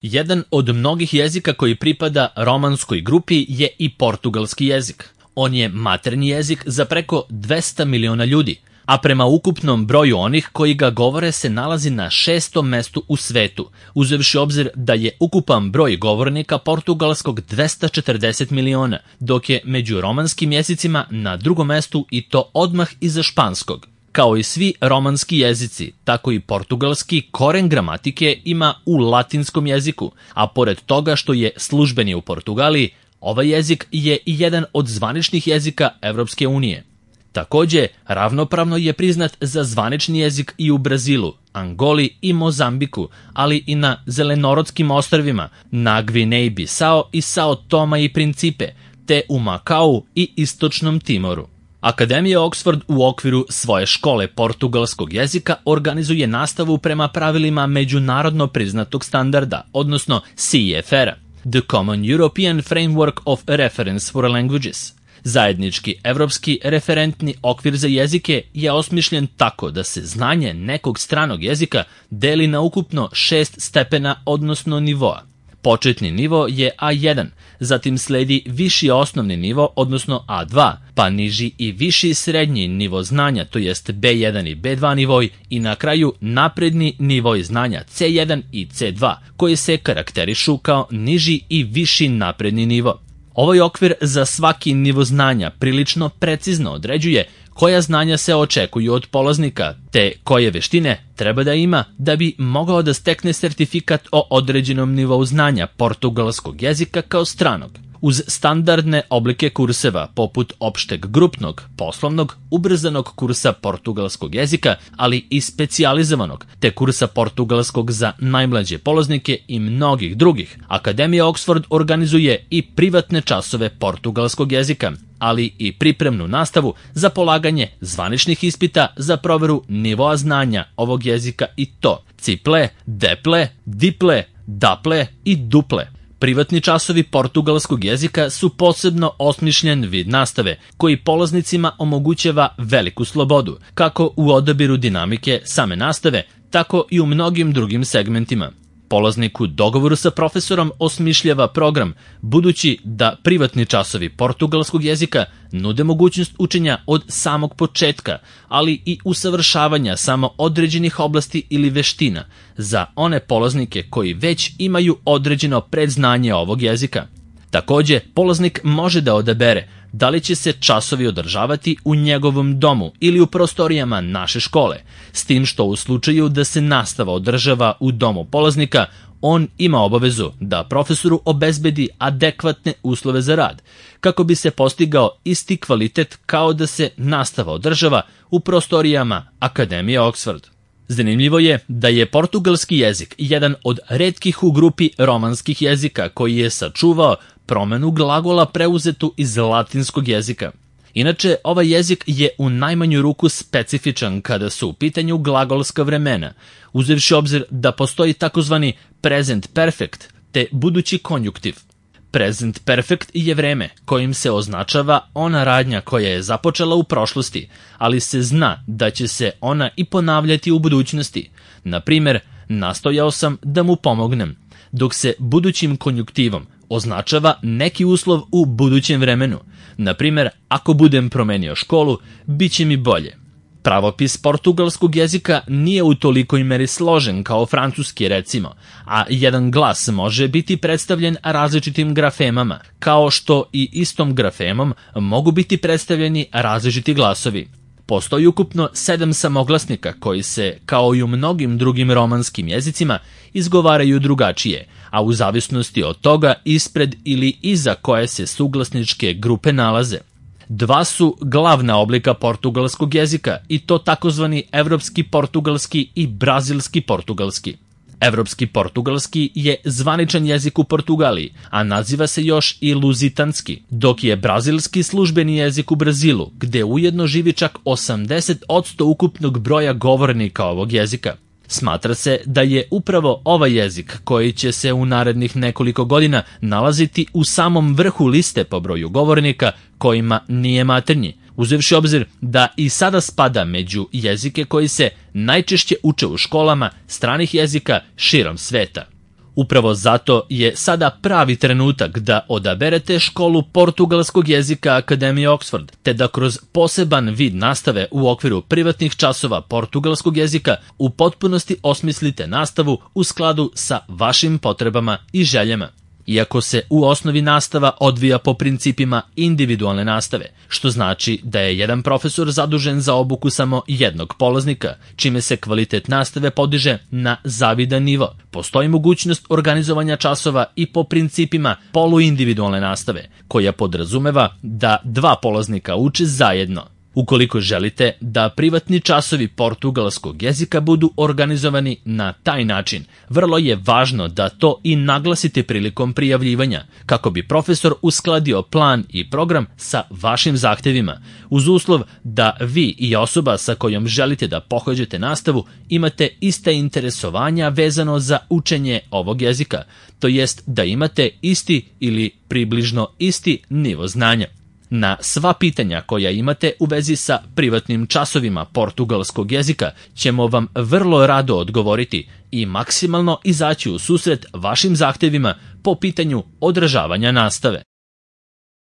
Jedan od mnogih jezika koji pripada romanskoj grupi je i portugalski jezik. On je maternji jezik za preko 200 miliona ljudi, a prema ukupnom broju onih koji ga govore se nalazi na 6. mestu u svetu, uzevši obzir da je ukupan broj govornika portugalskog 240 miliona, dok je među romanskim jezicima na 2. mestu i to odmah iza španskog. Kao i svi romanski jezici, tako i portugalski koren gramatike ima u latinskom jeziku, a pored toga što je službeni u Portugaliji, ovaj jezik je i jedan od zvaničnih jezika Evropske unije. Takođe, ravnopravno je priznat za zvanični jezik i u Brazilu, Angoli i Mozambiku, ali i na Zelenorodskim ostrvima, na Gvineji Bisao i Sao Toma i Principe, te u Makau i Istočnom Timoru. Akademija Oxford u okviru svoje škole portugalskog jezika organizuje nastavu prema pravilima međunarodno priznatog standarda, odnosno CEFR-a, The Common European Framework of Reference for Languages. Zajednički evropski referentni okvir za jezike je osmišljen tako da se znanje nekog stranog jezika deli na ukupno 6 stepena, odnosno nivoa. Početni nivo je A1, zatim sledi viši osnovni nivo, odnosno A2, pa niži i viši srednji nivo znanja, to jest B1 i B2 nivoj, i na kraju napredni nivoj znanja C1 i C2, koji se karakterišu kao niži i viši napredni nivo. Ovaj okvir za svaki nivo znanja prilično precizno određuje koja znanja se očekuju od polaznika, te koje veštine treba da ima da bi mogao da stekne sertifikat o određenom nivou znanja portugalskog jezika kao stranog. Uz standardne oblike kurseva, poput opšteg grupnog, poslovnog, ubrzanog kursa portugalskog jezika, ali i specijalizovanog, te kursa portugalskog za najmlađe polaznike i mnogih drugih, Akademija Oxford organizuje i privatne časove portugalskog jezika, ali i pripremnu nastavu za polaganje zvaničnih ispita za proveru nivoa znanja ovog jezika, i to ciple, deple, diple, daple i duple. Privatni časovi portugalskog jezika su posebno osmišljen vid nastave koji polaznicima omogućava veliku slobodu, kako u odabiru dinamike same nastave, tako i u mnogim drugim segmentima. Polaznik u dogovoru sa profesorom osmišljava program, budući da privatni časovi portugalskog jezika nude mogućnost učenja od samog početka, ali i usavršavanja samo određenih oblasti ili veština za one polaznike koji već imaju određeno predznanje ovog jezika. Takođe, polaznik može da odabere da li će se časovi održavati u njegovom domu ili u prostorijama naše škole, s tim što u slučaju da se nastava održava u domu polaznika, on ima obavezu da profesoru obezbedi adekvatne uslove za rad, kako bi se postigao isti kvalitet kao da se nastava održava u prostorijama Akademije Oxford. Zanimljivo je da je portugalski jezik jedan od retkih u grupi romanskih jezika koji je sačuvao promenu glagola preuzetu iz latinskog jezika. Inače, ovaj jezik je u najmanju ruku specifičan kada su u pitanju glagolska vremena, uzevši obzir da postoji takozvani present perfect te budući konjuktiv. Present perfect je vreme kojim se označava ona radnja koja je započela u prošlosti, ali se zna da će se ona i ponavljati u budućnosti. Na primjer, nastojao sam da mu pomognem, dok se budućim konjuktivom označava neki uslov u budućem vremenu. Na primjer, ako budem promenio školu, bit će mi bolje. Pravopis portugalskog jezika nije u tolikoj meri složen kao francuski, recimo, a jedan glas može biti predstavljen različitim grafemama, kao što i istom grafemom mogu biti predstavljeni različiti glasovi. Postoji ukupno 7 samoglasnika koji se, kao i u mnogim drugim romanskim jezicima, izgovaraju drugačije, a u zavisnosti od toga ispred ili iza koje se suglasničke grupe nalaze. 2 su glavna oblika portugalskog jezika, i to takozvani evropski portugalski i brazilski portugalski. Evropski portugalski je zvaničan jezik u Portugaliji, a naziva se još i luzitanski, dok je brazilski službeni jezik u Brazilu, gde ujedno živi čak 80% ukupnog broja govornika ovog jezika. Smatra se da je upravo ovaj jezik koji će se u narednih nekoliko godina nalaziti u samom vrhu liste po broju govornika kojima nije maternji, uzevši obzir da i sada spada među jezike koji se najčešće uče u školama stranih jezika širom sveta. Upravo zato je sada pravi trenutak da odaberete školu portugalskog jezika Akademije Oxford, te da kroz poseban vid nastave u okviru privatnih časova portugalskog jezika u potpunosti osmislite nastavu u skladu sa vašim potrebama i željama. Iako se u osnovi nastava odvija po principima individualne nastave, što znači da je jedan profesor zadužen za obuku samo jednog polaznika, čime se kvalitet nastave podiže na zavidan nivo. Postoji mogućnost organizovanja časova i po principima poluindividualne nastave, koja podrazumeva da dva polaznika uče zajedno. Ukoliko želite da privatni časovi portugalskog jezika budu organizovani na taj način, vrlo je važno da to i naglasite prilikom prijavljivanja, kako bi profesor uskladio plan i program sa vašim zahtevima, uz uslov da vi i osoba sa kojom želite da pohađate nastavu imate iste interesovanja vezano za učenje ovog jezika, to jest da imate isti ili približno isti nivo znanja. Na sva pitanja koja imate u vezi sa privatnim časovima portugalskog jezika ćemo vam vrlo rado odgovoriti i maksimalno izaći u susret vašim zahtevima po pitanju održavanja nastave.